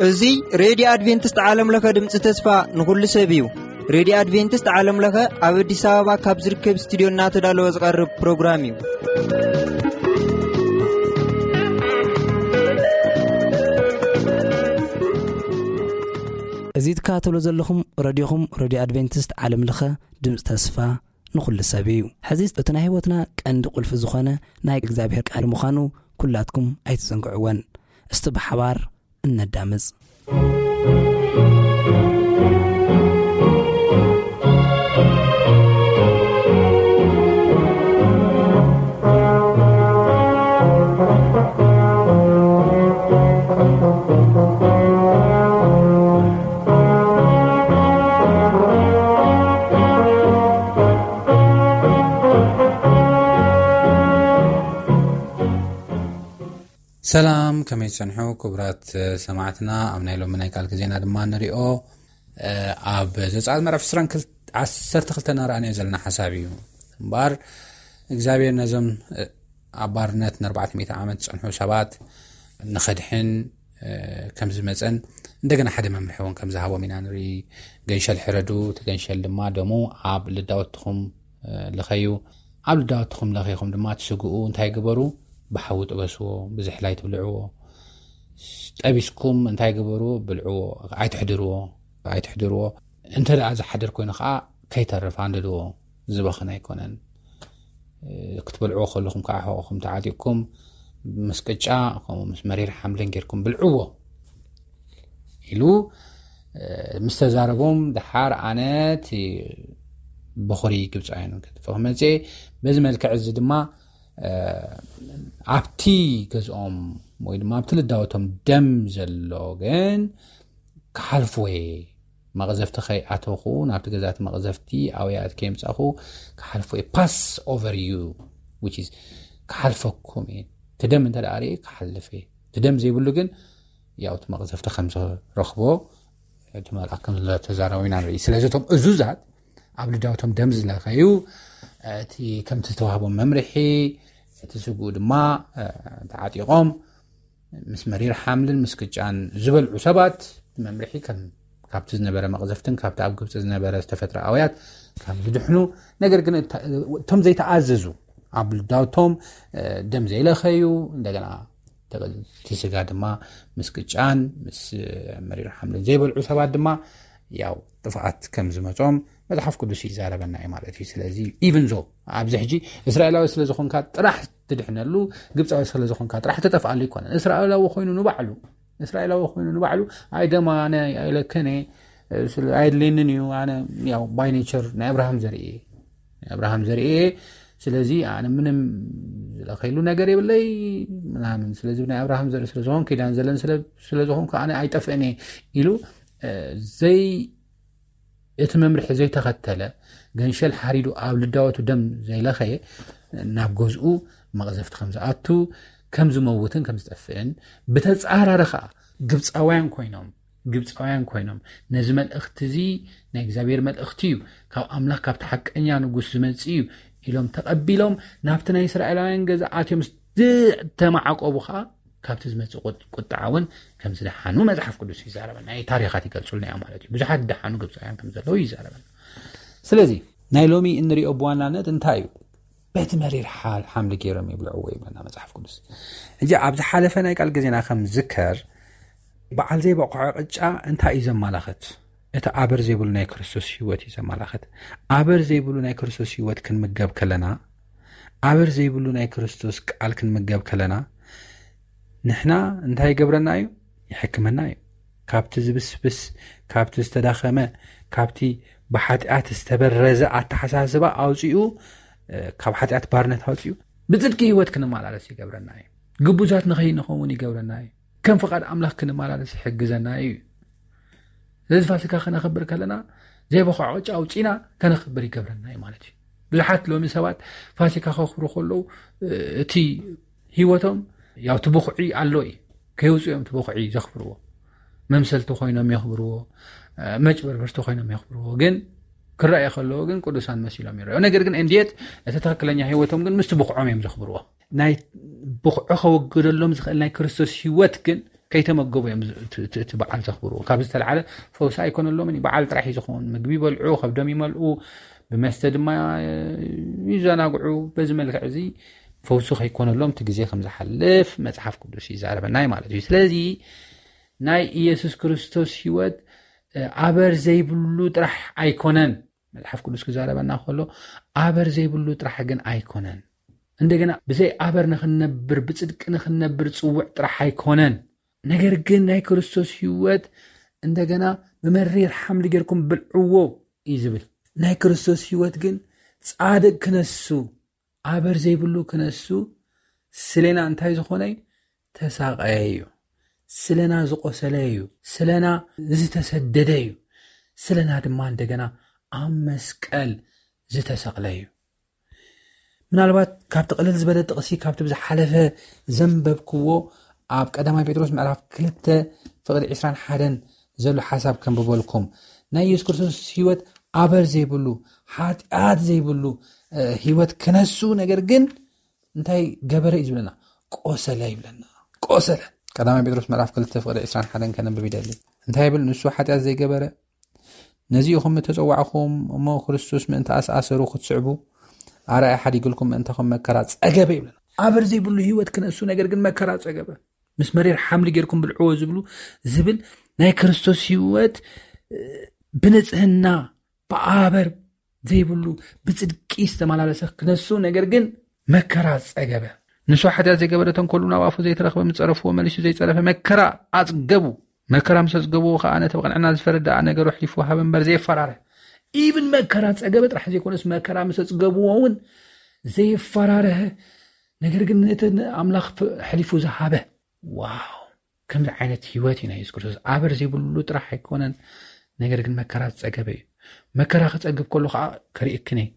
እዚ ሬድዮ ኣድቬንቲስት ዓለም ለኸ ድምፂ ተስፋ ንኹሉ ሰብ እዩ። ሬድዮ ኣድቬንቲስት ዓለም ለኸ ኣብ ኣዲስ ኣበባ ካብ ዝርከብ ስቱዲዮ እናተዳለወ ዝቐርብ ፕሮግራም እዩ። እዚ ትከታተሉ ዘለኹም ረድዮኹም ሬድዮ ኣድቬንቲስት ዓለም ለኸ ድምፂ ተስፋ ንኹሉ ሰብ እዩ። ሕዚ እቲ ናይ ህይወትና ቀንዲ ቁልፊ ዝኾነ ናይ እግዚኣብሔር ቃል ምዃኑ ኩላትኩም ኣይትዘንግዕወን። እስቲ ብሓባር እነዳምፅ። ሰላም፣ ከመይ ትጸንሑ ክቡራት ሰማዕትና? ኣብ ናይ ሎሚ ናይ ቃል ግዜና ድማ ንሪኦ፣ እ፣ ኣብ ዘጸኣት ምዕራፍ ዕስራን ክልተ፣ ዓሰርተ ክልተ እናረኣናዮ ዘለና ሓሳብ እዩ። እምበኣር እግዚኣብሔር ነዞም፣ እ፣ ኣብ ባርነት ንኣርባዕተ ሚእቲ ዓመት ዝጸንሑ ሰባት ንኸድሕን፣ እ፣ ከም ዝመጸን እንደገና ሓደ መምርሒ እውን ከም ዝሃቦም ኢና ንርኢ። ገንሸል ሕረዱ፣ እቲ ገንሸል ድማ ደሙ ኣብ ልዳወትኹም፣ እ፣ ልኸዩ። ኣብ ልዳወትኹም ለኺኹም ድማ ትስግኡ እንታይ ግበሩ? ብሓዊ ጥበስዎ፣ ብዝሕላይ ትብልዕዎ። ጠቢስኩም እንታይ ግበሩ? ብልዕዎ፣ ኣይትሕድርዎ፣ ኣይትሕድርዎ። እንተ ደኣ ዝሓድር ኮይኑ ኸዓ ከይተርፍ ኣንድድዎ፣ ዝበኽን ኣይኮነን። እ፣ ክትበልዕዎ ከለኹም ከዓ ሕቖኹም ተዓጢቕኩም ምስ ቅጫ ከምኡ ምስ መሪር ሓምልን ጌርኩም ብልዕዎ ኢሉ፣ እ፣ ምስ ተዛረቦም ደሓር ኣነ እቲ በኹሪ ግብፃውያን ከጥፍእ ክመፅእ እየ። በዚ መልክዕ እዚ ድማ፣ እ፣ ኣብቲ ገዝኦም ወይ ድማ ኣብቲ ልዳወቶም ደም ዘሎ ግን ክሓልፍዎ እየ። መቕዘፍቲ ከይኣተኹ፣ ናብቲ ገዛቲ መቕዘፍቲ ኣውያት ከየምጻኹ ክሓልፎ እየ። ፓስ ኦቨር ዩ፣ which is ክሓልፈኩም እየ። እቲ ደም እንተ ደኣ ርእየ ክሓልፍ እየ። እቲ ደም ዘይብሉ ግን ያው እቲ መቕዘፍቲ ከም ዝረኽቦ እቲ መልኣክ ከም ዝተዛረቡ ኢና ንርኢ። ስለዚ እቶም እዙዛት ኣብ ልዳውቶም ደም ዝለኸዩ፣ እቲ ከምቲ ዝተዋህቦም መምርሒ፣ እቲ ስግኡ ድማ፣ እ፣ ተዓጢቖም ምስ መሪር ሓምልን ምስ ቅጫን ዝበልዑ ሰባት መምርሒ ከም ካብቲ ዝነበረ መቕዘፍትን ካብቲ ኣብ ግብፂ ዝነበረ ዝተፈጥረ ኣውያት ከም ዝድሕኑ፣ ነገር ግን እታ-፣ እቶም ዘይተኣዘዙ ኣብ ልዳውቶም፣ እ፣ ደም ዘይለኸዩ፣ እንደገና እቲ ስጋ ድማ ምስ ቅጫን ምስ መሪር ሓምልን ዘይበልዑ ሰባት ድማ ያው ጥፍኣት ከም ዝመጾም መጽሓፍ ቅዱስ ይዛረበና እዩ ማለት እዩ። ስለዚ ኢቭን ዞ ኣብዚ ሕጂ እስራኤላዊ ስለ ዝኾንካ ጥራሕ ትድሕነሉ፣ ግብፃዊ ስለ ዝኾንካ ጥራሕ ትጠፍኣሉ ኣይኮነን። እስራኤላዊ ኮይኑ ንባዕሉ፣ እስራኤላዊ ኮይኑ ንባዕሉ፣ ኣይ ደማ ኣነ ኣይለከን እየ፣ ስለ-፣ ኣየድልየንን እዩ፣ ኣነ ያው ባይ ኔቸር ናይ ኣብርሃም ዘርኢ እየ፣ ናይ ኣብርሃም ዘርኢ እየ፣ ስለዚ ኣነ ምንም ዝለኸይሉ ነገር የብለይ ምናምን፣ ስለዚ ናይ ኣብርሃም ዘርኢ ስለ ዝኾን ኪዳን ዘለን ስለ-፣ ስለ ዝኾንኩ ኣነ ኣይጠፍእን እየ ኢሉ፣ እ፣ ዘይ-፣ እቲ መምርሒ ዘይተኸተለ፣ ገንሸል ሓሪዱ ኣብ ልዳወቱ ደም ዘይለኸየ፣ ናብ ገዝኡ መቕዘፍቲ ከም ዝኣቱ፣ ከም ዝመውትን ከም ዝጠፍእን፣ ብተጻራሪ ኸኣ ግብጻውያን ኮይኖም፣ ግብጻውያን ኮይኖም፣ ነዚ መልእኽቲ እዚ ናይ እግዚኣብሔር መልእኽቲ እዩ፣ ካብ ኣምላኽ፣ ካብቲ ሓቀኛ ንጉስ ዝመጽእ እዩ ኢሎም ተቐቢሎም፣ ናብቲ ናይ እስራኤላውያን ገዛ ኣትዮም ዝተማዓቆቡ ኸኣ፣ ካብቲ ዝመጽእ ቁጥ-፣ ቁጥዓ እውን ከም ዝደሓኑ መጽሓፍ ቅዱስ ይዛረበና። ናይ ታሪኻት ይገልጹልና እዮም ማለት እዩ። ብዙሓት ዝደሓኑ ግብጻውያን ከም ዘለዉ ይዛረበና። ስለዚ ናይ ሎሚ እንሪኦ ብዋናነት እንታይ እዩ? በቲ መሪር ሓ-፣ ሓምሊ ገይሮም ይብልዕዎ ይብለና መጽሓፍ ቅዱስ። ሕጂ ኣብ ዝሓለፈ ናይ ቃል ግዜና ከም ዝከር፣ በዓል ዘይበቕዖ ቅጫ እንታይ እዩ ዘማላኽት? እቲ ኣበር ዘይብሉ ናይ ክርስቶስ ህይወት እዩ ዘማላኽት። ኣበር ዘይብሉ ናይ ክርስቶስ ህይወት ክንምገብ ከለና፣ ኣበር ዘይብሉ ናይ ክርስቶስ ቃል ክንምገብ ከለና፣ ንሕና እንታይ ይገብረና እዩ? ይሕክመና እዩ። ካብቲ ዝብስብስ፣ ካብቲ ዝተዳኸመ፣ ካብቲ ብሓጢኣት ዝተበረዘ ኣተሓሳስባ ኣውፂኡ፣ እ፣ ካብ ሓጢኣት ባርነት ኣውፂኡ፣ ብጽድቂ ህይወት ክንመላለስ ይገብረና እዩ። ግቡዛት ንኸይንኸውን ይገብረና እዩ። ከም ፍቓድ ኣምላኽ ክንመላለስ ይሕግዘና እዩ። ስለዚ ፋሲካ ከነኽብር ከለና ዘይበኹዕ ቅጫ ኣውፂና ከነኽብር ይገብረና እዩ ማለት እዩ። ብዙሓት ሎሚ ሰባት ፋሲካ ከኽብሩ ከለዉ፣ እ፣ እቲ ህይወቶም ያው እቲ ብኹዒ ኣሎ እዩ። ከየውፅኡ እዮም እቲ ብኹዒ ዘኽብርዎ። መምሰልቲ ኮይኖም የኽብርዎ፣ እ፣ መጭበርበርቲ ኮይኖም የኽብርዎ። ግን ክረኣየ ከለዎ ግን ቅዱሳን መሲሎም ይረኣዩ። ነገር ግን እንዴት እቲ ትኽክለኛ ህይወቶም ግን ምስቲ ብቕዖም እዮም ዘኽብርዎ። ናይ ብቕዑ ከወግደሎም ዝኽእል ናይ ክርስቶስ ህይወት ግን ከይተመገቡ እዮም ዝ- እቲ- እቲ እቲ በዓል ዘኽብርዎ። ካብ ዝተለዓለ ፈውሲ ኣይኮነሎምን እዩ። በዓል ጥራሕ እዩ ዝኸውን። ምግቢ ይበልዑ፣ ከብዶም ይመልኡ፣ ብመስተ ድማ ይዘናግዑ። በዚ መልክዕ እዚ ፈውሲ ከይኮነሎም እቲ ግዜ ከም ዝሓልፍ መጽሓፍ ቅዱስ ይዛረበና እዩ ማለት እዩ። ስለዚ ናይ ኢየሱስ ክርስቶስ ህይወት እ፣ ኣበር ዘይብሉ ጥራሕ ኣይኮነን። መጽሓፍ ቅዱስ ክዛረበና ከሎ ኣበር ዘይብሉ ጥራሕ ግን ኣይኮነን። እንደገና ብዘይ ኣበር ንኽንነብር፣ ብጽድቂ ንኽንነብር ጽውዕ ጥራሕ ኣይኮነን። ነገር ግን ናይ ክርስቶስ ህይወት እንደገና ብመሪር ሓምሊ ጌርኩም ብልዕዎ እዩ ዝብል። ናይ ክርስቶስ ህይወት ግን ጻድቅ ክነሱ፣ ኣበር ዘይብሉ ክነሱ ስለና እንታይ ዝኾነ እዩ? ተሳቐየ እዩ። ስለና ዝቆሰለ እዩ። ስለና ዝተሰደደ እዩ። ስለና ድማ እንደገና ኣብ መስቀል ዝተሰቕለ እዩ። ምናልባት ካብቲ ቅልል ዝበለ ጥቕሲ ካብቲ ብዝሓለፈ ዘንበብክዎ ኣብ ቀዳማይ ጴጥሮስ ምዕራፍ ክልተ ፍቕዲ ዕስራን ሓደን ዘሎ ሓሳብ ከንብበልኩም። ናይ ኢየሱስ ክርስቶስ ህይወት ኣበር ዘይብሉ፣ ሓጢኣት ዘይብሉ እ፣ ህይወት ክነሱ፣ ነገር ግን እንታይ ገበረ እዩ ዝብለና? ቆሰለ ይብለና። ቆሰለ። ቀዳማይ ጴጥሮስ ምዕራፍ ክልተ ፍቕዲ ዕስራን ሓደን ከነንብብ ይደሊ። እንታይ ይብል? ንሱ ሓጢኣት ዘይገበረ፣ ነዚ ኢኹም እተጸዋዕኹም እሞ ክርስቶስ ምእንቲ ኣስኣሰሩ ክትስዕቡ ኣርኣያ ሓዲግልኩም ምእንታኹም መከራ ጸገበ ይብለና። ኣበር ዘይብሉ ህይወት ክነሱ፣ ነገር ግን መከራ ጸገበ። ምስ መሪር ሓምሊ ጌርኩም ብልዕዎ ዝብሉ ዝብል ናይ ክርስቶስ ህይወት እ፣ ብንጽህና ብኣበር ዘይብሉ ብጽድቂ ዝተመላለሰ ክነሱ፣ ነገር ግን መከራ ጸገበ። ንሱ ሓጢኣት ዘይገበረ፣ ተንኮሉ ናብ ኣፉ ዘይተረኽበ፣ ምስ ጸረፍዎ መሊሱ ዘይጸረፈ መከራ ኣጽገቡ። መከራ ምስ ኣጽገብዎ ከኣ ነቲ ብቕንዕና ዝፈረድ ደኣ ነገሩ ኣሕሊፉ ወሃበ እምበር ዘየፈራረ። ኢብን መከራ ጸገበ ጥራሕ ዘይኮነስ መከራ ምስ ኣጽገብዎ እውን ዘየፈራረሀ፣ ነገር ግን ነቲ ኣምላኽ ፍ- ኣሕሊፉ ዝሃበ። ዋው! ከምዚ ዓይነት ህይወት እዩ ናይ የሱስ ክርስቶስ። ኣበር ዘይብሉ ጥራሕ ኣይኮነን፣ ነገር ግን መከራ ዝጸገበ እዩ። መከራ ክጸግብ ከሎ ከዓ ከርእየክን እየ፣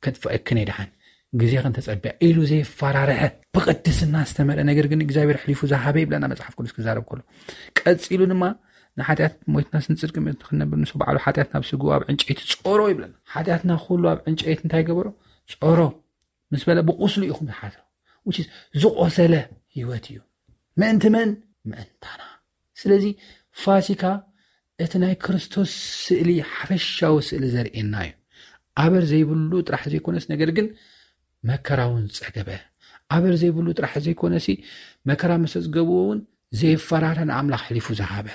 ከጥፍአክን እየ ደሓን፣ ግዜ ክንተጸብያ ኢሉ ዘይፈራርሐ፣ ብቅድስና ዝተመልአ፣ ነገር ግን እግዚኣብሔር ኣሕሊፉ ዝሃበ ይብለና መጽሓፍ ቅዱስ ክዛረብ ከሎ። ቀጺሉ ድማ ንሓጢኣት ሞይትናስ ንጽድቂ ምእንቲ ክንነብር ንሱ ባዕሉ ሓጢኣት ናብ ስግኡ ኣብ ዕንጨይቲ ጾሮ ይብለና። ሓጢኣትና ኩሉ ኣብ ዕንጨይቲ እንታይ ገበሮ? ጾሮ። ምስ በለ ብቁስሉ ኢኹም ዝሓስሮ። Which is ዝቆሰለ ህይወት እዩ። ምእንቲ መን? ምእንታና። ስለዚ ፋሲካ እቲ ናይ ክርስቶስ ስእሊ፣ ሓፈሻዊ ስእሊ ዘርእየና እዩ። ኣበር ዘይብሉ ጥራሕ ዘይኮነስ፣ ነገር ግን መከራ እውን ጸገበ። ኣበር ዘይብሉ ጥራሕ ዘይኮነሲ፣ መከራ ምስ ኣጽገብዎ እውን ዘየፈራረ ንኣምላኽ ኣሕሊፉ ዝሃበ።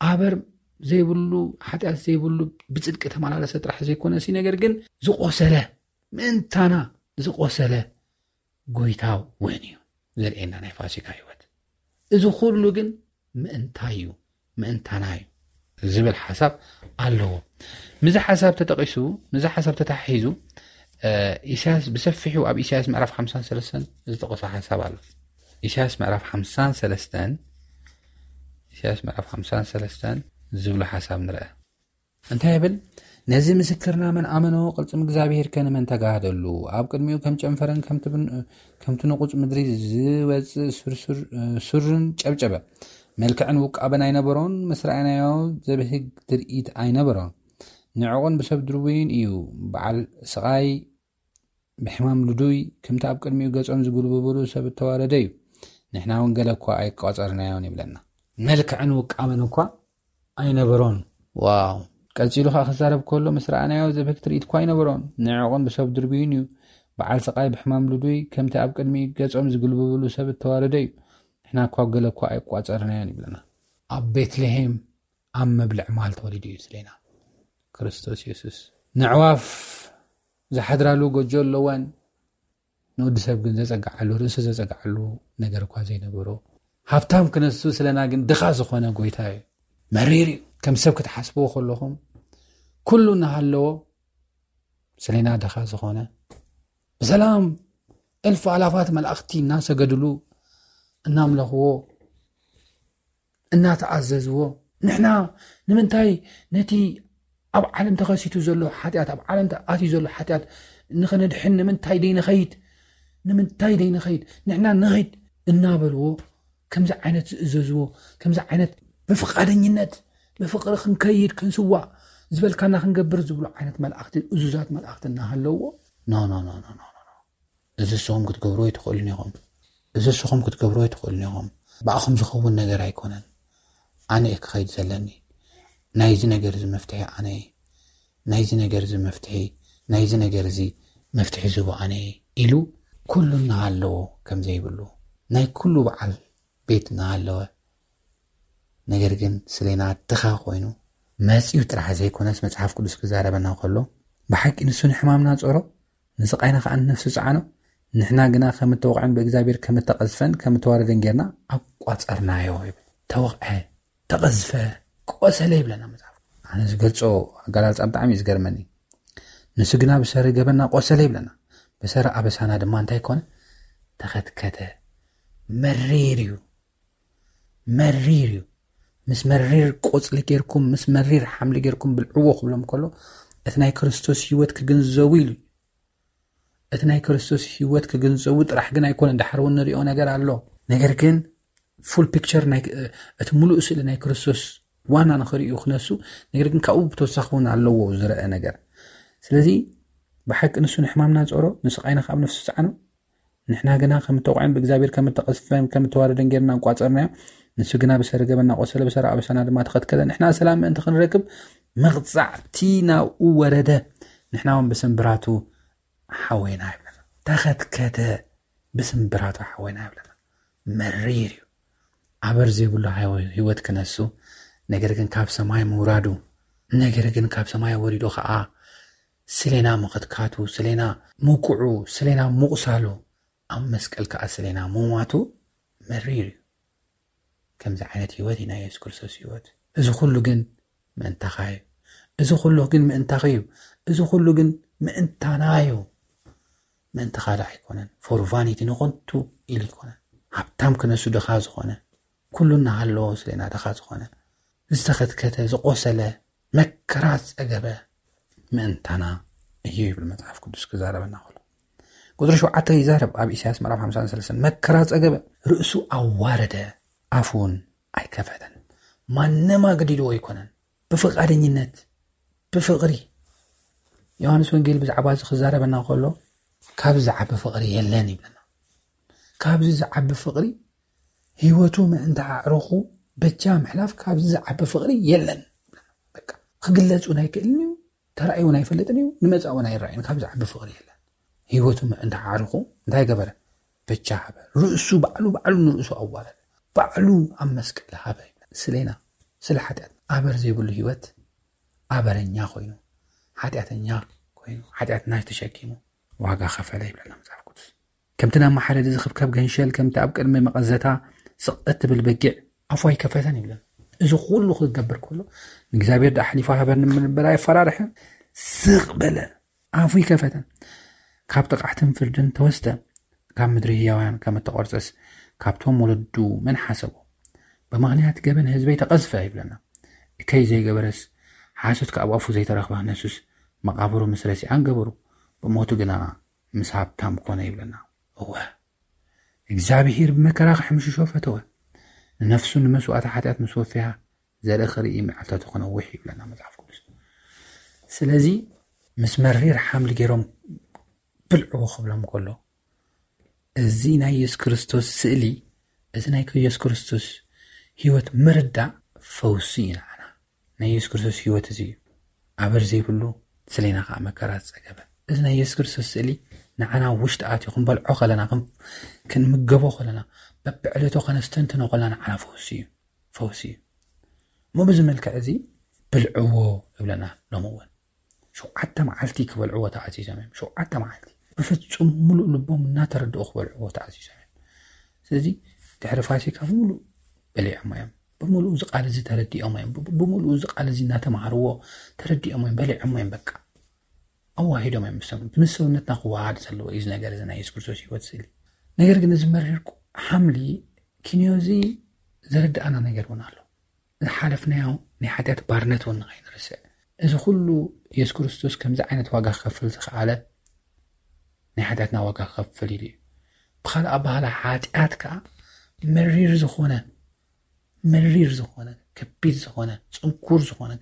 ኣበር ዘይብሉ፣ ሓጢኣት ዘይብሉ፣ ብጽድቂ ተመላለሰ ጥራሕ ዘይኮነሲ፣ ነገር ግን ዝቆሰለ፣ ምእንታና ዝቆሰለ ጎይታ እውን እዩ ዘርእየና ናይ ፋሲካ ህይወት። እዚ ኩሉ ግን ምእንታይ እዩ? ምእንታና እዩ ዝብል ሓሳብ ኣለዎ። ምዚ ሓሳብ ተጠቂሱ፣ ምዚ ሓሳብ ተታሒዙ፣ እ፣ ኢሳያስ ብሰፊሑ ኣብ ኢሳያስ ምዕራፍ ሓምሳን ሰለስተን ዝጠቀሶ ሓሳብ ኣሎ። ኢሳያስ ምዕራፍ ሓምሳን ሰለስተን፣ ኢሳያስ ምዕራፍ ሓምሳን ሰለስተን ዝብሎ ሓሳብ ንርአ። እንታይ ይብል? ነዚ ምስክርና መን ኣመኖ? ቅልጽም እግዚኣብሔር ከ ንመን ተጋህደሉ? ኣብ ቅድሚኡ ከም ጨንፈርን ከምቲ ብን-፣ ከምቲ ንቑጽ ምድሪ ዝወጽእ ሱር-፣ ሱር-፣ ሱርን ጨብጨበ። መልክዕን ውቃበን ኣይነበሮን፣ ምስ ረኣናዮ ዘብህግ ትርኢት ኣይነበሮን። ንዕቑን ብሰብ ድርቡይን እዩ፣ በዓል ስቓይ ብሕማም ልዱይ፣ ከምቲ ኣብ ቅድሚኡ ገጾም ዝጉልብብሉ ሰብ እተዋረደ እዩ። ንሕና እውን ገለ እኳ ኣይቋጸርናዮን ይብለና። መልክዕን ውቃበን እኳ ኣይነበሮን። ዋው! ቀጺሉ ኸኣ ክዛረብ ከሎ፣ ምስ ረኣናዮ ዘብህግ ትርኢት እኳ ኣይነበሮን። ንዕቑን ብሰብ ድርቡይን እዩ። በዓል ስቓይ ብሕማም ልዱይ፣ ከምቲ ኣብ ቅድሚኡ ገጾም ዝጉልብብሉ ሰብ እተዋረደ እዩ። ንሕና እኳ ገለ እኳ ኣይቋጸርናዮን ይብለና። ኣብ ቤትልሄም ኣብ መብልዕ ማል ተወሊዱ እዩ ስለና ክርስቶስ የሱስ። ነዕዋፍ ዝሓድራሉ ጎጆ ኣለወን፣ ንወዲ ሰብ ግን ዘጸግዓሉ፣ ርእሱ ዘጸግዓሉ ነገር እኳ ዘይነበሮ፣ ሃብታም ክነሱ ስለና ግን ድኻ ዝኾነ ጎይታ እዩ። መሪር እዩ። ከም ሰብ ክትሓስብዎ ከለኹም፣ ኩሉ እናሃለዎ ስለና ድኻ ዝኾነ፣ ብሰላም እልፍ ኣላፋት መላእኽቲ እናሰገድሉ፣ እናምለኽዎ፣ እናተኣዘዝዎ፣ ንሕና ንምንታይ ነቲ ኣብ ዓለም ተኸሲቱ ዘሎ ሓጢኣት፣ ኣብ ዓለም ኣትዩ ዘሎ ሓጢኣት ንኸነድሕን ንምንታይ ደይንኸይድ? ንምንታይ ደይንኸይድ? ንሕና ንኸይድ እናበልዎ፣ ከምዚ ዓይነት ዝእዘዝዎ፣ ከምዚ ዓይነት ብፍቓደኝነት፣ ብፍቕሪ ክንከይድ፣ ክንስዋእ፣ ዝበልካና ክንገብር ዝብሉ ዓይነት መላእኽቲ፣ እዙዛት መላእኽቲ እናሃለዎ፣ ኖ ኖ ኖ ኖ ኖ ኖ፣ እዚ ንስኹም ክትገብሩ ኣይትኽእሉን ኢኹም፣ እዚ ንስኹም ክትገብሩ ኣይትኽእሉን ኢኹም፣ ብኣኹም ዝኸውን ነገር ኣይኮነን፣ ኣነ እየ ክኸይድ ዘለኒ፣ ናይዚ ነገር እዚ መፍትሒ ኣነ እየ፣ ናይዚ ነገር እዚ መፍትሒ ናይዚ ነገር እዚ መፍትሒ ዝህቦ ኣነ እየ ኢሉ፣ ኩሉ እናሃለዎ ከም ዘይብሉ፣ ናይ ኩሉ በዓል ቤት እናሃለወ፣ ነገር ግን ስሌና ድኻ ኮይኑ መጺኡ ጥራሕ ዘይኮነስ፣ መጽሓፍ ቅዱስ ክዛረበና ከሎ፣ ብሓቂ ንሱ ንሕማምና ጾሮ፣ ንስቓይና ከኣ ንነፍሱ ጸዓኖ፣ ንሕና ግና ከም እተወቕዐን ብእግዚኣብሔር ከም እተቐዝፈን ከም እተዋረደን ጌርና ኣቋጸርናዮ ይብል። ተወቕዐ፣ ተቐዝፈ፣ ቆሰለ ይብለና መጽሓፍ። ኣነ ዝገልጾ ኣገላልጻ ብጣዕሚ እዩ ዝገርመኒ። ንሱ ግና ብሰሪ ገበና ቆሰለ ይብለና። ብሰሪ ኣበሳና ድማ እንታይ ኮነ? ተኸትከተ። መሪር እዩ። መሪር እዩ። ምስ መሪር ቆጽሊ ጌርኩም፣ ምስ መሪር ሓምሊ ጌርኩም ብልዕዎ ክብሎም ከሎ፣ እቲ ናይ ክርስቶስ ህይወት ክግንዘቡ ኢሉ እዩ። እቲ ናይ ክርስቶስ ህይወት ክግንዘቡ ጥራሕ ግን ኣይኮነን። ድሓር እውን ንሪኦ ነገር ኣሎ። ነገር ግን ፉል ፒክቸር ናይ፣ እቲ ሙሉእ ስእሊ ናይ ክርስቶስ ዋና ንኽርእዩ ክነሱ፣ ነገር ግን ካብኡ ብተወሳኺ እውን ኣለዎ ዝረአ ነገር። ስለዚ ብሓቂ ንሱ ንሕማምና ጸሮ፣ ንስቓይና ካብ ነፍሱ ጸዓኖ። ንሕና ግና ከም እተውቕዐን ብእግዚኣብሔር ከም እተቐዝፈን ከም እተዋረደን ጌርና ኣቋጸርናዮ። ንሱ ግና ብሰሪ ገበና ቆሰለ፣ ብሰሪ ኣበሳና ድማ ተኸትከተ። ንሕና ሰላም ምእንቲ ክንረክብ መቕጻዕቲ ናብኡ ወረደ። ንሕና እውን ብስምብራቱ ሓወይና ይብለና። ተኸትከተ፣ ብስምብራቱ ሓወይና ይብለና። መሪር እዩ። ኣበር ዘይብሉ ሃይወ-፣ ህይወት ክነሱ፣ ነገር ግን ካብ ሰማይ ምውራዱ፣ ነገር ግን ካብ ሰማይ ወሪዱ ኸዓ ስሌና ምኽትካቱ፣ ስሌና ምውቅዑ፣ ስሌና ምቑሳሉ፣ ኣብ መስቀል ከኣ ስሌና ምሟቱ መሪር እዩ። ከምዚ ዓይነት ህይወት እዩ ናይ የሱስ ክርስቶስ ህይወት። እዚ ኩሉ ግን ምእንታኻ እዩ። እዚ ኩሉ ግን ምእንታኺ እዩ። እዚ ኩሉ ግን ምእንታና እዩ። ምእንቲ ካልእ ኣይኮነን። ፎር ቫኒቲ፣ ንኾንቱ ኢሉ ኣይኮነን። ሃብታም ክነሱ ድኻ ዝኾነ፣ ኩሉ እናሃለዎ ስሌና ድኻ ዝኾነ፣ ዝተኸትከተ፣ ዝቆሰለ፣ መከራ ዝጸገበ ምእንታና እዩ ይብል መጽሓፍ ቅዱስ ክዛረበና ከሎ። ቁጽሪ ሸውዓተ ይዛረብ ኣብ ኢሳያስ ምዕራፍ ሓምሳን ሰለስተን፣ መከራ ጸገበ፣ ርእሱ ኣዋረደ፣ ኣፉ እውን ኣይከፈተን። ማንም ኣገዲድዎ ኣይኮነን። ብፍቓደኝነት፣ ብፍቕሪ። ዮሃንስ ወንጌል ብዛዕባ እዚ ክዛረበና ከሎ፣ ካብዚ ዝዓቢ ፍቕሪ የለን ይብለና። ካብዚ ዝዓቢ ፍቕሪ፣ ህይወቱ ምእንቲ ኣዕሩኹ በጃ ምሕላፍ ካብዚ ዝዓቢ ፍቕሪ የለን። በቃ፣ ክግለጽ እውን ኣይክእልን እዩ፣ ተራእዩ እውን ኣይፈልጥን እዩ፣ ንመጻኢ እውን ኣይረኣይን። ካብዚ ዝዓቢ ፍቕሪ የለን። ህይወቱ ምእንቲ ኣዕሩኹ እንታይ ገበረ? በጃ ሃበ። ርእሱ ባዕሉ፣ ባዕሉ ንርእሱ ኣዋረደ። ባዕሉ ኣብ መስቀል ሃበ። ስሌና፣ ስለ ሓጢኣት፣ ኣበር ዘይብሉ ህይወት ኣበረኛ ኮይኑ፣ ሓጢኣተኛ ኮይኑ፣ ሓጢኣትና ተሸኪሙ ዋጋ ከፈለ ይብለና መጽሓፍ ቅዱስ። ከምቲ ናብ መሓረዲ ዝኽብከብ ገንሸል፣ ከምቲ ኣብ ቅድሚ መቐዘታ ስቕ እትብል በጊዕ ኣፉ ኣይከፈተን ይብለና። እዚ ኩሉ ክገብር ከሎ፣ ንእግዚኣብሔር ደኣ ኣሕሊፉ ሃበኒ ብምባል ኣየፈራርሐን፣ ስቕ በለ፣ ኣፉ ኣይከፈተን። ካብ ጥቕዓትን ፍርድን ተወስደ፣ ካብ ምድሪ ህያውያን ከም እተቖርጸስ፣ ካብቶም ወለዱ መን ሓሰቦ? ብምኽንያት ገበን ህዝበይ ተቐዝፈ ይብለና። እከይ ዘይገበረስ፣ ሓሶት ካብ ኣፉ ዘይተረኽበ ክነሱስ፣ መቓብሩ ምስ ረሲዓን ገበሩ፣ ብሞቱ ግና ምስ ሃብታም ኮነ ይብለና። እወ፣ እግዚኣብሄር ብመከራ ክሕምሽሾ ፈተወ። ንነፍሱ ንመስዋእቲ ሓጢኣት ምስ ወፈያ፣ ዘርኢ ክርኢ መዓልታቱ ክነውሕ ይብለና መጽሓፍ ቅዱስ። ስለዚ ምስ መሪር ሓምሊ ገይሮም ብልዕዎ ክብሎም ከሎ፣ እዚ ናይ የሱስ ክርስቶስ ስእሊ፣ እዚ ናይ የሱስ ክርስቶስ ህይወት ምርዳእ ፈውሲ እዩ ንዓና። ናይ የሱስ ክርስቶስ ህይወት እዚ እዩ። ኣበር ዘይብሉ፣ ስሌና ከዓ መከራ ዝጸገበ። እዚ ናይ የሱስ ክርስቶስ ስእሊ ንዓና ውሽጢ ኣትዩ ክንበልዖ ከለና፣ ክን-፣ ክንምገቦ ከለና፣ በብዕለቱ ከነስተንትኖ ከለና ንዓና ፈውሲ እዩ። ፈውሲ እዩ። እሞ በዚ መልክዕ እዚ ብልዕዎ ይብለና። ሎሚ እውን ሸውዓተ መዓልቲ ክበልዕዎ ተኣዚዞም እዮም። ሸውዓተ መዓልቲ ብፍጹም ምሉእ ልቦም እናተረድኡ ክበልዕዎ ተኣዚዞም እዮም። ስለዚ ድሕሪ ፋሲካ ብምሉእ በሊዖም እዮም። ብምሉእ እዚ ቃል እዚ ተረዲኦም እዮም። ብ-፣ ብምሉእ እዚ ቃል እዚ እናተማሃርዎ ተረዲኦም እዮም፣ በሊዖም እዮም። በቃ ኣዋሂዶም እዮም። ምስ ሰብ-፣ ምስ ሰውነትና ክወሃድ ዘለዎ እዩ እዚ ነገር እዚ ናይ የሱስ ክርስቶስ ህይወት ስእሊ። ነገር ግን እዚ መሪር ሓምሊ ኪንዮ እዚ ዘረድኣና ነገር እውን ኣሎ። ዝሓለፍናዮ ናይ ሓጢኣት ባርነት እውን ንኸይንርስዕ። እዚ ኩሉ የሱስ ክርስቶስ ከምዚ ዓይነት ዋጋ ክኸፍል ዝኸኣለ ናይ ሓጢኣትና ዋጋ ክኸፍል ኢሉ እዩ። ብኻልእ ኣባህላ ሓጢኣት ከኣ መሪር ዝኾነ፣ መሪር ዝኾነ፣ ከቢድ ዝኾነ፣ ጽንኩር ዝኾነ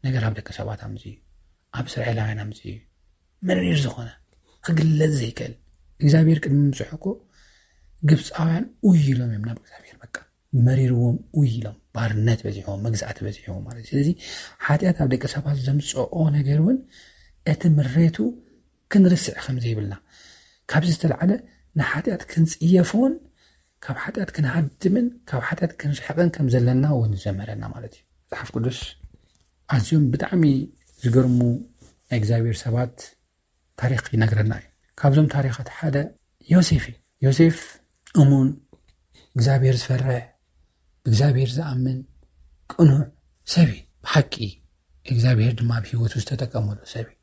ነገር ኣብ ደቂ ሰባት ኣምፅኡ፣ ኣብ እስራኤላውያን ኣምፅኡ። መሪር ዝኾነ ክግለጽ ዘይክእል እግዚኣብሔር ቅድሚ ምብፅሑ እኮ ግብፃውያን ኡይ ኢሎም እዮም ናብ እግዚኣብሔር። በቃ መሪርዎም ኡይ ኢሎም፣ ባርነት በዚሕዎም፣ መግዛእቲ በዚሕዎም ማለት እዩ። ስለዚ ሓጢኣት ኣብ ደቂ ሰባት ዘምፅኦ ነገር እውን እቲ ምሬቱ ክንርስዕ ከም ዘይብልና፣ ካብዚ ዝተለዓለ ንሓጢኣት ክንፅየፎን ካብ ሓጢኣት ክንሃድምን ካብ ሓጢኣት ክንርሕቕን ከም ዘለና እውን ዘምህረና ማለት እዩ። መፅሓፍ ቅዱስ ኣዝዮም ብጣዕሚ ዝገርሙ ናይ እግዚኣብሔር ሰባት ታሪኽ ይነግረና እዩ። ካብዞም ታሪኻት ሓደ ዮሴፍ እዩ። ዮሴፍ እሙን፣ እግዚኣብሔር ዝፈርሕ፣ ብእግዚኣብሔር ዝኣምን ቅኑዕ ሰብ እዩ። ብሓቂ እግዚኣብሔር ድማ ኣብ ህይወቱ ዝተጠቀመሉ ሰብ እዩ።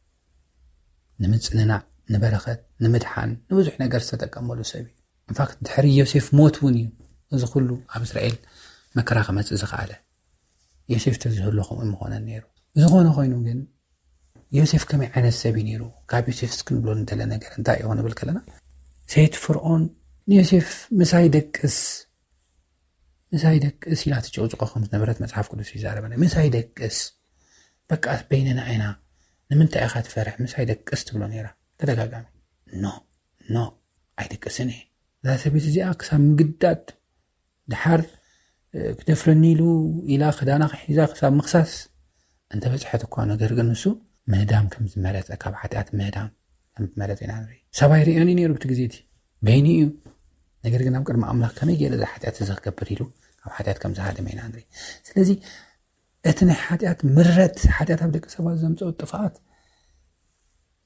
ንምጽንናዕ፣ ንበረኸት፣ ንምድሓን፣ ንብዙሕ ነገር ዝተጠቀመሉ ሰብ እዩ። ኢንፋክት ድሕሪ ዮሴፍ ሞት እውን እዩ እዚ ኩሉ ኣብ እስራኤል መከራ ክመጽእ ዝኸኣለ። ዮሴፍ ተዝህሉ ከምኡ ምኾነ ነይሩ። ዝኾነ ኮይኑ ግን ዮሴፍ ከመይ ዓይነት ሰብ እዩ ነይሩ? ካብ ዮሴፍ እስክንብሎ እንደለ ነገር እንታይ እዩ ንብል ከለና፣ ሰይት ፍርኦን ንዮሴፍ ምሳይ ደቅስ፣ ምሳይ ደቅስ ኢላ ትጭቕጭቆ ከም ዝነበረት መጽሓፍ ቅዱስ ይዛረበና። ምሳይ ደቅስ፣ በቃ በይንና ኢና፣ ንምንታይ ኢኻ ትፈርሕ? ምሳይ ደቅስ ትብሎ ነይራ ተደጋጋሚ። ኖ ኖ፣ ኣይደቅስን እየ። እዛ ሰበይቲ እዚኣ ክሳብ ምግዳድ፣ ድሓር ክደፍረኒ ኢሉ ኢላ ክዳና ክሒዛ ክሳብ ምክሳስ እንተበፅሐት እኳ፣ ነገር ግን ንሱ ምህዳም ከም ዝመረፀ፣ ካብ ሓጢኣት ምህዳም ከም ዝመረፀ ኢና ንርኢ። ሰብኣይ ርእዮኒ ነይሩ ብቲ ግዜ እቲ፣ በይኑ እዩ። ነገር ግን ኣብ ቅድሚ ኣምላኽ ከመይ ገይረ እዛ ሓጢኣት እዚ ክገብር ኢሉ ካብ ሓጢኣት ከም ዝሃደመ ኢና ንርኢ። ስለዚ እቲ ናይ ሓጢኣት ምረት፣ ሓጢኣት ኣብ ደቂ ሰባት ዘምፅኦ ጥፍኣት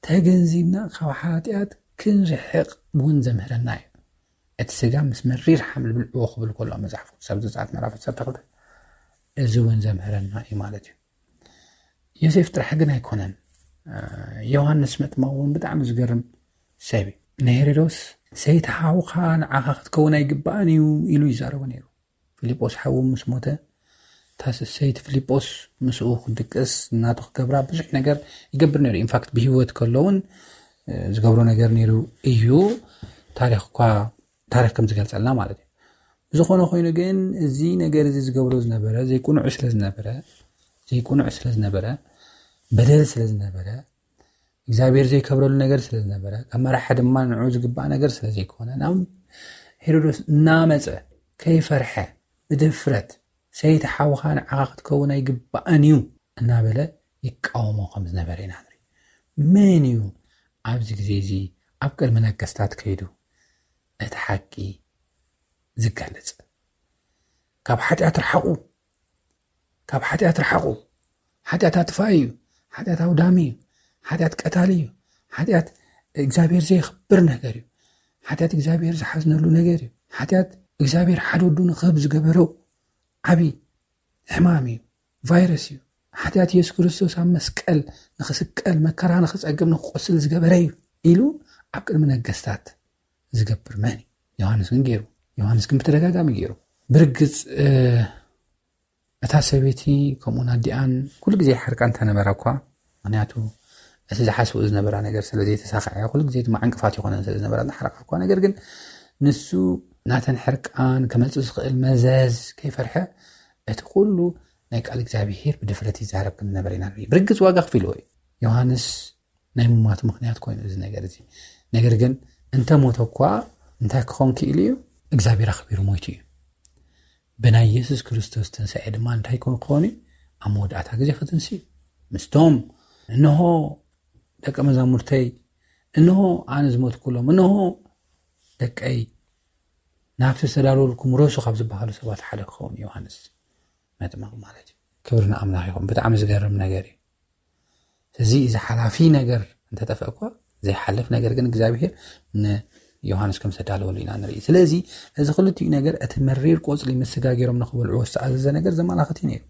ተገንዚብና ካብ ሓጢኣት ክንርሕቕ እውን ዘምህረና እዩ። እቲ ስጋ ምስ መሪር ሓምል ብልዕዎ ክብል ከሎ መጽሓፍ ቅዱስ ኣብ ዘጸኣት ምዕራፍ ዓሰርተ ክልተ፣ እዚ እውን ዘምህረና እዩ ማለት እዩ። ዮሴፍ ጥራሕ ግን ኣይኮነን። ዮሃንስ መጥምቕ እውን ብጣዕሚ ዝገርም ሰብ እዩ። ንሄሮዶስ፣ ሰይቲ ሓውካ ንዓኻ ክትከውን ኣይግባእን እዩ ኢሉ ይዛረቦ ነይሩ። ፊልጶስ ሓዉ ምስ ሞተ፣ እታ ሰይቲ ፊልጶስ ምስኡ ክድቅስ፣ እናቱ ክገብራ ብዙሕ ነገር ይገብር ነይሩ። ኢንፋክት ብህይወት ከሎ እውን ዝገብሮ ነገር ነይሩ እዩ። ታሪኽ እኳ፣ ታሪኽ ከም ዝገልጸልና ማለት እዩ። ዝኾነ ኮይኑ ግን እዚ ነገር እዚ ዝገብሮ ዝነበረ ዘይቁኑዕ ስለ ዝነበረ፣ ዘይቁኑዕ ስለ ዝነበረ፣ በደል ስለ ዝነበረ፣ እግዚኣብሔር ዘይከብረሉ ነገር ስለ ዝነበረ፣ ካብ መራሒ ድማ ንዑ ዝግባእ ነገር ስለ ዘይኮነ፣ ናብ ሄሮዶስ እናመጸ ከይፈርሐ ብድፍረት፣ ሰይቲ ሓውኻ ንዓኻ ክትከውን ኣይግባእን እዩ እናበለ ይቃወሞ ከም ዝነበረ ኢና ንርኢ። መን እዩ ኣብዚ ግዜ እዚ ኣብ ቅድሚ ነገስታት ከይዱ እቲ ሓቂ ዝገልጽ? ካብ ሓጢኣት ርሓቑ፣ ካብ ሓጢኣት ርሓቑ፣ ሓጢኣት ኣጥፋኢ እዩ፣ ሓጢኣት ኣውዳሚ እዩ፣ ሓጢኣት ቀታሊ እዩ፣ ሓጢኣት እግዚኣብሔር ዘየኽብር ነገር እዩ፣ ሓጢኣት እግዚኣብሔር ዝሓዝነሉ ነገር እዩ፣ ሓጢኣት እግዚኣብሔር ሓደ ወዱ ንክህብ ዝገበሮ ዓብዪ ሕማም እዩ፣ ቫይረስ እዩ፣ ሓጢኣት የሱስ ክርስቶስ ኣብ መስቀል ንኽስቀል፣ መከራ ንኽጸግብ፣ ንኽቆስል ዝገበረ እዩ ኢሉ ኣብ ቅድሚ ነገስታት ዝገብር መን እዩ? ዮሃንስ ግን ገይሩ። ዮሃንስ ግን ብተደጋጋሚ ገይሩ። ብርግጽ እታ ሰበይቲ ከምኡን ኣዲኣን ኩሉ ግዜ ይሓርቃ እንተነበራ እኳ፣ ምክንያቱ እቲ ዝሓስብኡ ዝነበራ ነገር ስለ ዘይተሳኽዐ፣ ኩሉ ግዜ ድማ ዕንቅፋት ይኾነን ስለ ዝነበራ እናሓረቃ እኳ፣ ነገር ግን ንሱ ናተን ሕርቃን ከመጽእ ዝኽእል መዘዝ ከይፈርሐ፣ እቲ ኩሉ ናይ ቃል እግዚኣብሄር ብድፍረት ይዛረብ ከም ዝነበረ ኢና ንርኢ። ብርግጽ ዋጋ ከፊልዎ እዩ። ዮሃንስ ናይ ምማቱ ምኽንያት ኮይኑ እዚ ነገር እዚ። ነገር ግን እንተ ሞተ እኳ እንታይ ክኾን ክኢሉ እዩ? እግዚኣብሔር ኣኽቢሩ ሞይቱ እዩ። ብናይ የሱስ ክርስቶስ ትንሳኤ ድማ እንታይ ክኾን ክኾን እዩ? ኣብ መወዳእታ ግዜ ክትንሲ እዩ። ምስቶም፣ "እንሆ ደቀ መዛሙርተይ፣ እንሆ ኣነ ዝሞትኩሎም፣ እንሆ ደቀይ፣ ናብቲ ዝተዳለወልኩም ረሱ" ካብ ዝበሃሉ ሰባት ሓደ ክኸውን እዩ ዮሃንስ መጥምቕ ማለት እዩ። ክብሪ ንኣምላኽ ይኹን። ብጣዕሚ ዝገርም ነገር እዩ። እዚ፣ እዚ ሓላፊ ነገር እንተጠፍአ እኳ ዘይሓልፍ ነገር ግን እግዚኣብሔር ንዮሃንስ ከም ዝተዳለወሉ ኢና ንርኢ። ስለዚ እዚ ክልቲኡ ነገር እቲ መሪር ቆጽሊ ምስ ስጋ ገይሮም ንኽበልዕዎ ዝተኣዘዘ ነገር ዘመላኽት እዩ ነይሩ።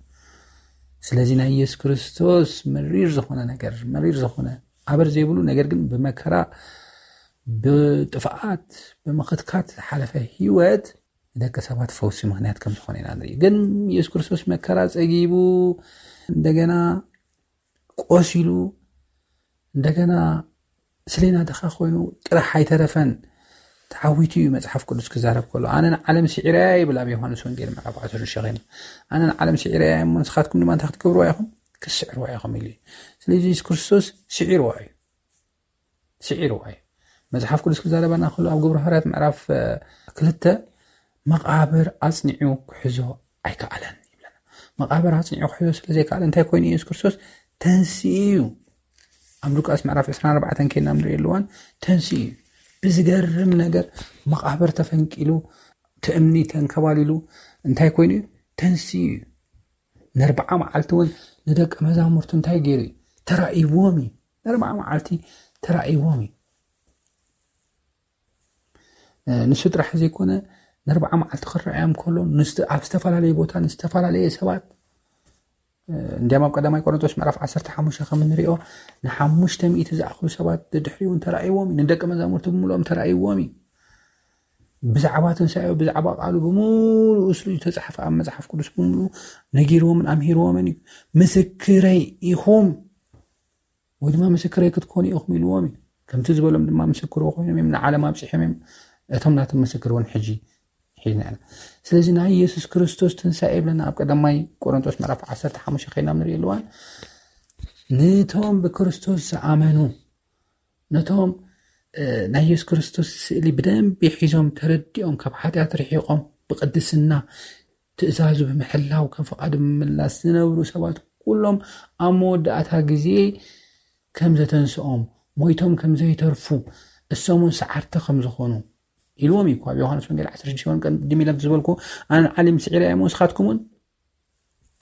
ስለዚ ናይ ኢየሱስ ክርስቶስ መሪር ዝኾነ ነገር፣ መሪር ዝኾነ ኣበር ዘይብሉ ነገር ግን ብመከራ፣ ብጥፍኣት፣ ብምኽትካት ዝሓለፈ ህይወት ንደቂ ሰባት ፈውሲ ምኽንያት ከም ዝኾነ ኢና ንርኢ። ግን ኢየሱስ ክርስቶስ መከራ ጸጊቡ፣ እንደገና ቆሲሉ፣ እንደገና ስሌና ድኻ ኮይኑ ጥራሕ ኣይተረፈን፣ ተዓዊቱ እዩ መጽሓፍ ቅዱስ ክዛረብ ከሎ። "ኣነ ንዓለም ስዒረያ" ይብል ኣብ ዮሃንስ ወንጌል ምዕራፍ ዓሰርተ ሸኺኑ። "ኣነ ንዓለም ስዒረያ እሞ ንስኻትኩም ድማ እንታይ ክትገብርዋ ኢኹም? ክስዕርዋ ኢኹም ኢሉ እዩ። ስለዚ የሱስ ክርስቶስ ስዒርዋ እዩ። ስዒርዋ እዩ። መጽሓፍ ቅዱስ ክዛረበና ከሎ ኣብ ግብረ ሃዋርያት ምዕራፍ ክልተ መቓብር ኣጽኒዑ ክሕዞ ኣይከኣለን ይብለና። መቓብር ኣጽኒዑ ክሕዞ ስለዘይከኣለ እንታይ ኮይኑ የሱስ ክርስቶስ ተንስኡ እዩ። ኣብ ሉቃስ ምዕራፍ ዕስራን ኣርባዕተን ከይና ንሪኦ ኣለዋን ተንስኡ እዩ። ብዝገርም ነገር መቓብር ተፈንቂሉ፣ ትእምኒ ተንከባሊሉ እንታይ ኮይኑ እዩ? ተንስኡ እዩ። ነርብዓ መዓልቲ እውን ንደቂ መዛሙርቱ እንታይ ገይሩ እዩ? ተራእይዎም እዩ። ነርብዓ መዓልቲ ተራእይዎም እዩ። ንሱ ጥራሕ ዘይኮነ፣ ነርብዓ መዓልቲ ክረኣዮም ከሎ ኣብ ዝተፈላለየ ቦታ ንዝተፈላለየ ሰባት፣ እንዲያም ኣብ ቀዳማይ ቆሮንቶስ ምዕራፍ ዓሰርተ ሓሙሽተ ከም እንሪኦ ንሓሙሽተ ሚእቲ ዝኣኽሉ ሰባት ድሕሪኡ እውን ተራእይዎም እዩ። ንደቂ መዛሙርቲ ብምልኦም ተራእይዎም እዩ። ብዛዕባ ትንሳኤ ብዛዕባ ቃሉ ብምሉኡ ስሉ ዝተፃሓፈ ኣብ መፅሓፍ ቅዱስ ብምሉኡ ነጊርዎምን ኣምሂርዎምን እዩ። ምስክረይ ኢኹም ወይ ድማ ምስክረይ ክትኮኑ ኢኹም ኢልዎም እዩ። ከምቲ ዝበሎም ድማ ምስክርዎ ኮይኖም እዮም ንዓለም ኣብፂሖም እዮም። እቶም ናቶም ምስክር እውን ሕጂ ሒዝና ኢና። ስለዚ ናይ የሱስ ክርስቶስ ትንሳኤ ይብለና ኣብ ቀዳማይ ቆሮንቶስ ምዕራፍ ዓሰርተ ሓሙሽተ ከይና ንርኢ ኣለዋን። ንቶም ብክርስቶስ ዝኣመኑ፣ ነቶም ናይ የሱስ ክርስቶስ ስእሊ ብደንብ ሒዞም ተረዲኦም ካብ ሓጢኣት ርሒቖም ብቅድስና ትእዛዙ ብምሕላው ከም ፍቓዱ ብምምላስ ዝነብሩ ሰባት ኩሎም ኣብ መወዳእታ ግዜ ከም ዘተንስኦም፣ ሞይቶም ከም ዘይተርፉ፣ እሶም እውን ሰዓርቲ ከም ዝኾኑ ኢልዎም እዩ እኮ ኣብ ዮሃንስ ወንጌል ዓሰርተ ሽዱሽተ ቅድም ኢለ ዝበልኩ ኣነ ዓለም ስዒረ እሞ ንስኻትኩም እውን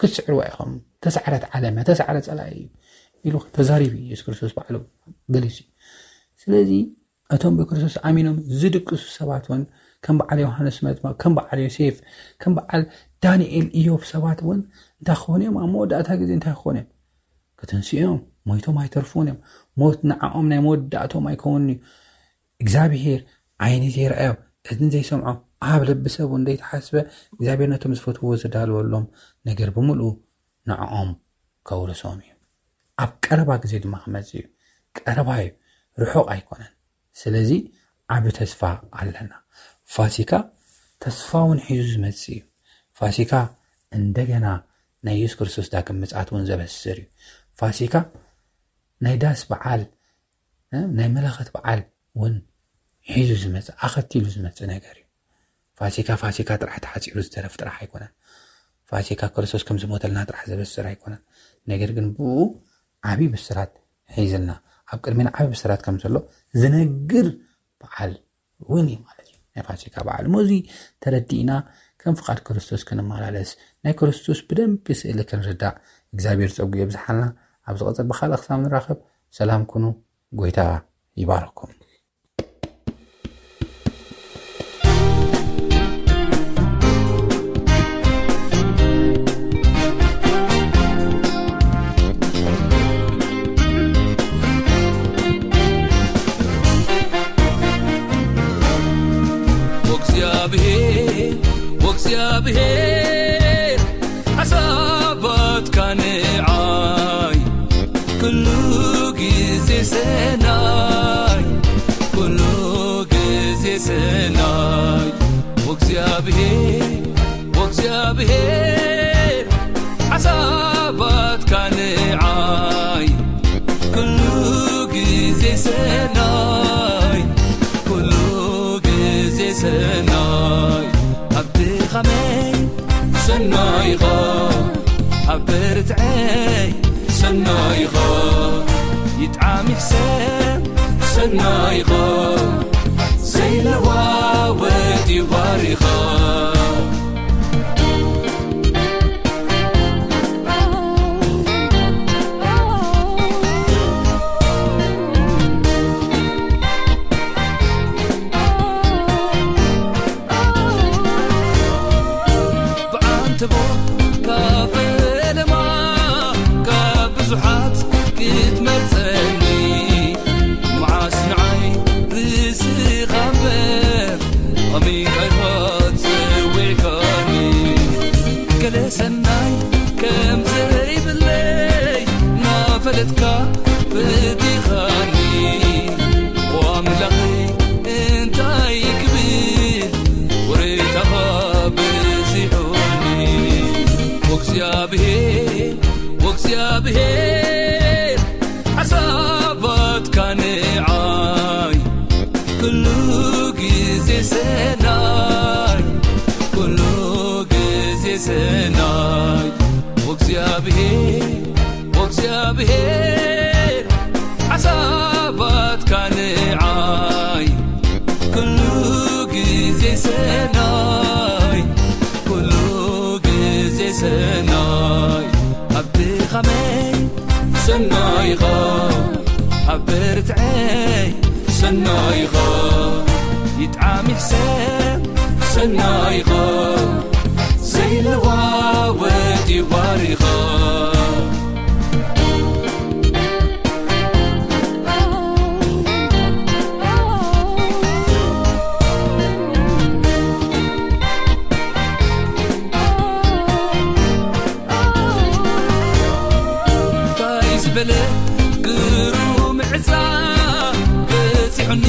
ክትስዕርዋ ኢኹም። ተሳዕረት ዓለም ተሳዕረ ጸላኢ እዩ ኢሉ ተዛሪቡ እዩ የሱስ ክርስቶስ ባዕሉ ገሊጹ እዩ። ስለዚ እቶም ብክርስቶስ ኣሚኖም ዝድቅሱ ሰባት እውን ከም በዓል ዮሃንስ መጥምቕ፣ ከም በዓል ዮሴፍ፣ ከም በዓል ዳንኤል፣ ኢዮብ ሰባት እውን እንታይ ክኾኑ እዮም? ኣብ መወዳእታ ግዜ እንታይ ክኾኑ እዮም? ክትንስኡ እዮም። ሞይቶም ኣይተርፉን እዮም። ሞት ንዓኦም ናይ መወዳእቶም ኣይከውንን እዩ። እግዚኣብሄር ዓይኒ ዘይረኣዮ፣ እዝኒ ዘይሰምዖ፣ ኣብ ልቢ ሰብ እውን ዘይተሓስበ እግዚኣብሄር ነቶም ዝፈትውዎ ዘዳለወሎም ነገር ብምልኡ ንዕኦም ከውርሶም እዩ። ኣብ ቀረባ ግዜ ድማ ክመጽእ እዩ። ቀረባ እዩ፣ ርሑቕ ኣይኮነን። ስለዚ ዓቢ ተስፋ ኣለና። ፋሲካ ተስፋ እውን ሒዙ ዝመጽእ እዩ። ፋሲካ እንደገና ናይ የሱስ ክርስቶስ ዳግም ምጽኣት እውን ዘበስር እዩ። ፋሲካ ናይ ዳስ በዓል፣ እ፣ ናይ መለኸት በዓል እውን ሒዙ ዝመጽእ፣ ኣኸቲሉ ዝመጽእ ነገር እዩ። ፋሲካ ፋሲካ ጥራሕ ተሓጺሩ ዝተረፍ ጥራሕ ኣይኮነን። ፋሲካ ክርስቶስ ከም ዝሞተልና ጥራሕ ዘበስር ኣይኮነን። ነገር ግን ብኡ ዓቢ ብስራት ሒዝልና፣ ኣብ ቅድሚና ዓቢ ብስራት ከም ዘሎ ዝነግር በዓል እውን እዩ ማለት እዩ። ናይ ፋሲካ በዓል እሞ እዚ ተረዲእና ከም ፍቓድ ክርስቶስ ክንመላለስ፣ ናይ ክርስቶስ ብደንቢ ስእሊ ክንርዳእ እግዚኣብሔር ጸጉ የብዝሓልና። ኣብ ዝቐጽል ብኻልእ ክሳብ ንራኸብ ሰላም ኩኑ። ጎይታ ይባርኩም። ወእግዚኣብሔር፣ ወእግዚኣብሔር፣ ሓሳባትካ ንዓይ፣ ኩሉ ግዜ ሰናይ፣ ኩሉ ግዜ ሰናይ። ወእግዚኣብሔር፣ ወእግዚኣብሔር፣ ሓሳባትካ ንዓይ፣ ኩሉ ግዜ ሰናይ፣ ኩሉ ግዜ ሰናይ። ኣብ ድኻመይ ሰናይ ኢኻ፣ ኣብ ብርትዐይ ሰናይ ኢኻ፣ ይጥዓም ይሕሰብ ሰናይ ኢኻ፣ ዘይለዋወጥ እዩ ባሪኻ። ብዓንተቦ ካብ ፈለማ ካብ ብዙሓት ክትመርጸኒ፣ መዓስ ንዓይ ርእስኻ እምበር ከመይ ከይኮን ንዓይ ኩሉ ግዜ ሰናይ፣ ኩሉ ግዜ ሰናይ። ወእግዚኣብሔር፣ ወእግዚኣብሔር ሓሳባትካ ንዓይ ኩሉ ግዜ ሰናይ፣ ኩሉ ግዜ ሰናይ። ኣብ ድኻመይ ሰናይ ኢኻ፣ ኣብ ብርትዐይ ሰናይ ኢኻ፣ ይጥዓም ይሕሰብ ሰናይ ኢኻ፣ ዘይለዋወጥ እዩ ባሪኻ። እንታይ ዝበለ ግሩም ዕፃ በፂሑኒ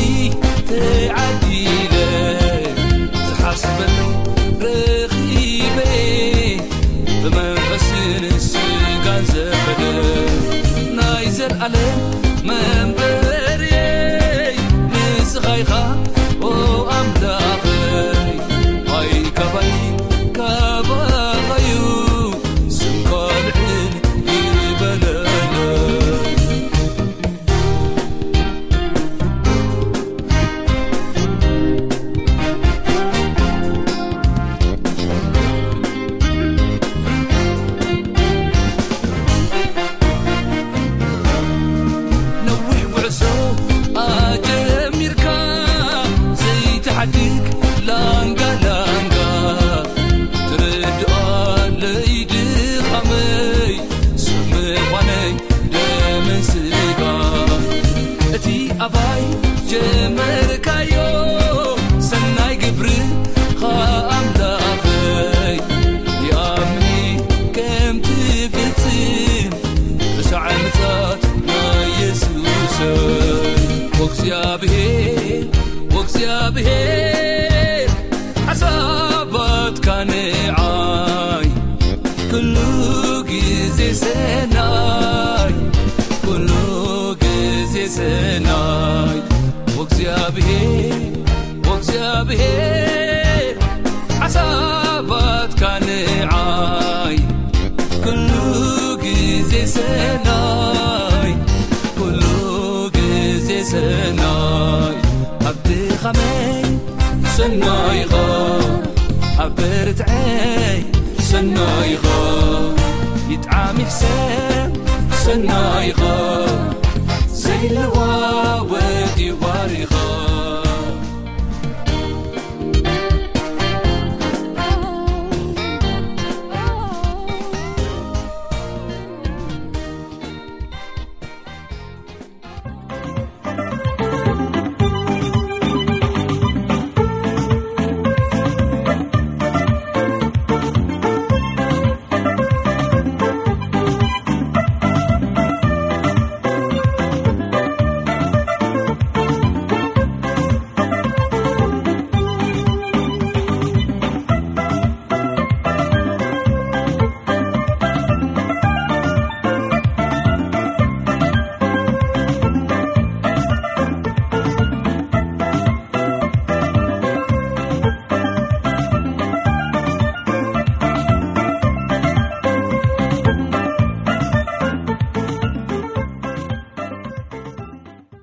ተዓዲለ፣ ዝሓስበሉ ረኺበ፣ ብመንፈስን ስጋን ዘበለ ናይ ዘልኣለም መንበርየይ ንስኻ ኢኻ ኦ ኣምላኸይ። ኣይ ካባይ ካባኻዩ ስም ካልዕን ይበለለይ። ነዊሕ ጉዕዞ ኣጀሚርካ ዘይትሓድግ ላንጋ ላንጋ፣ ትርድኣለይ ድኻመይ ሰብ ምዃነይ ደምን ስጋ። እቲ ኣባይ ጀመርካዮ ሰናይ ግብርኻ ኣምላኸይ፣ ይኣምኒ ከም ትፍጽም ርሳዕ ምጽኣት ናይ የሱሰይ። ወእግዚኣብሔር፣ ወእግዚኣብሔር ሓሳባትካ ንዓይ ኩሉ ግዜ ሰናይ፣ ኩሉ ግዜ ሰናይ። ወእግዚኣብሔር፣ ወእግዚኣብሔር ሓሳባትካ ንዓይ ኩሉ ግዜ ሰናይ፣ ኩሉ ግዜ ሰናይ። ኣብ ድኻመይ ሰናይ ኢኻ፣ ኣብ ብርትዐይ ሰናይ ኢኻ፣ ይጥዓም ይሕሰብ ሰናይ ኢኻ፣ ዘይለዋ